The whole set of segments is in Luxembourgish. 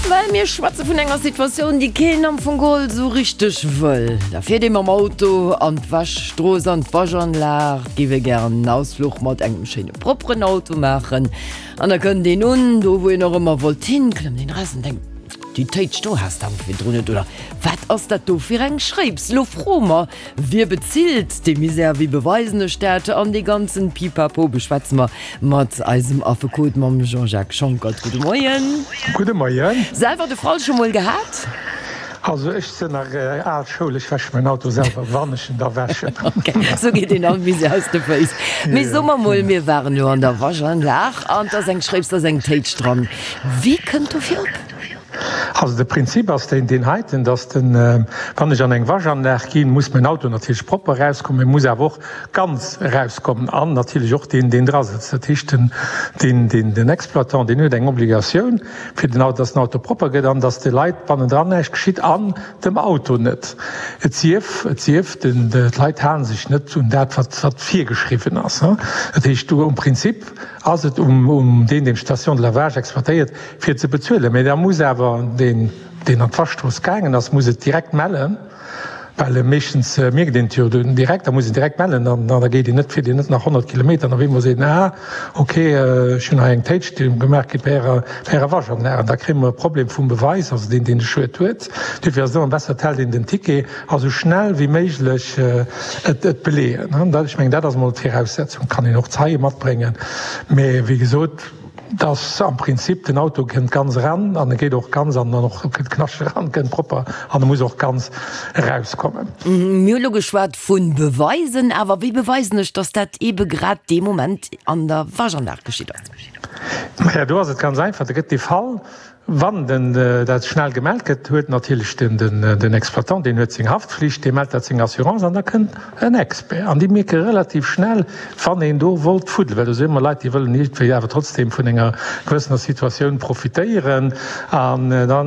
Well mir schwätze vun enger Situatioun, déi keen am Fong geholl esou richteg wëll. Da fiert ee mam Auto an d'Wäschstrooss, an d'Waschanlag, géif ee gären en Ausfluch mat engem schéine propperen Auto maachen. An da kënnt een un, do wou een och ëmmer wollt hin, klëmmt een eraus an denkt, Déi Téitsch do has de awer virdrun net, oder wat ass dat do fir eng Schréips? Lo froe mer, Wie bezilt dee Misär, wéi beweisen ech dat? An dee ganzen Pipapo beschwätze mer mat eisem Affekot, mam Jean-Jacques Schonckert. Gudde Moien. Gudde Moien. Selwer de Fall scho mol gehat? Also ech sinn nach al Schoul, ech wäsche mäin Auto selwer, wann ech en da wäschen. Ok, sou geet een all Misär aus de Féiss. Mee so mer mol, mir waren elo an der Waschanlag an 't ass eng Schréips, 't ass eng Téitsch dran. Wie kënnt dofir op? Also de Prinzip ass deen deen heiten, dass den, wann ech an eng Waschanlag ginn, muss mäin Auto natierlech propper erauskommen, mee muss awer och ganz erauskommen an natierlech och deen, deen dra sëtzt. Dat heescht, den, deen, deen, den Exploitant, deen huet eng Obligatioun, fir den Auto, dass den Auto propper gëtt an dass de Leit bannendran näischt geschitt an dem Auto net. Et sief, et sief, den, d'Leit hale sech net un dat, wat, wat virgeschriwwen ass. Dat heescht, do um Prinzip ass et um, um deen, deen d'Station de lavage exploitéiert, fir ze bezuelen. Mä da muss awer deen, deen an d'Waschstrooss gaangen ass, muss et direkt mellen, well meeschtens mierkt een et jo dunn direkt, da muss een direkt mellen an da geet een net, fiert een net nach 100 Kilometer an op eemol seet en, ah okay, ech hunn hei eng Téitsch gemaach kritt bei Ärer, bei Ärer Waschanlag. An da kréie mer e Problem vum Beweis, also deen, deen de Schued huet. Duerfir ass et ëmmer besser, et hält een den Ticket a sou schnell wéi méiglech et beleeën. Ech mengen, dat ass emol d'Viraussetzung. Et kann een och Zeie matbréngen, mä wéi gesot, Dass am Prinzip den Auto kënnt ganz eran an e geet och ganz an dann och kënnt knascht eran, kënnt propper an e muss och ganz erauskommen. Mir hu lo geschwat vu Beweisen, awer wéi beweisen ech, dass dat eebe grad dee Moment an der Waschanlag geschitt ass? Maja, do ass et ganz einfach, da gëtt dee Fall Wann den dat schnell gemellt gëtt, huet natierlech den den Exploitant, deen huet seng Haftflicht, dee mellt dat senger Assurance an da kënnt en Expert an déi mierke relativ schnell, wann een do wollt fuddelen, well do si ëmmer Leit, déi wëllen iergendwéi awer trotzdeem vun enger gewëssener Situatioun profitéieren an da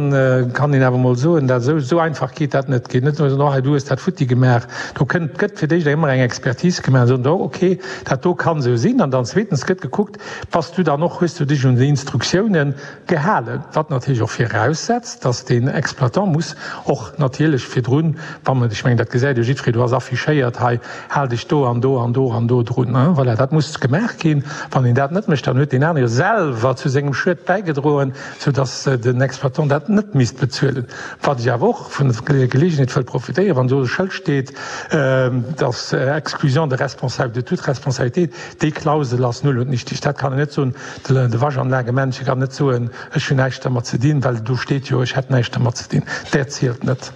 kann een awer emol soen, dat esou esou einfach geet dat net. Geet net nëmme soen, oh hei du hues dat futti gemaach. Do kënnt gëtt fir d'éischt ëmmer eng Expertise gemaach an soen, oh okay, dat do kann esou sinn an dann zweetens gëtt gekuckt, bass du dann och, hues du dech un déi Instruktiounen Gehalen, wat natierlech och viraussetzt, dass deen Exploitant muss och natierlech virdrun, wa mer, ech mengen, dat gesäit jo jiddweree, do ass affichéiert, hei, hal dech do an do an do an do drun, voilà, dat muss gemaach ginn. Wann een dat net mécht, dann huet deen anere jo selwer zu sengem Schued bäigedroen, soudass den Exploitant dat net misst bezuelen. Wat ech awer och vun der Gelegenheet wëll profitéieren, wann do e Schëld steet, dass Exclusion de responsable de toute responsabilité, déi Klausel ass null und nichtig. Dat kann een net soen. De Waschanlagemännche kann net soen, ech hunn näischt dermat ze dinn, well do steet jo, ech hätt näischt dermat ze dinn. Dat zielt net.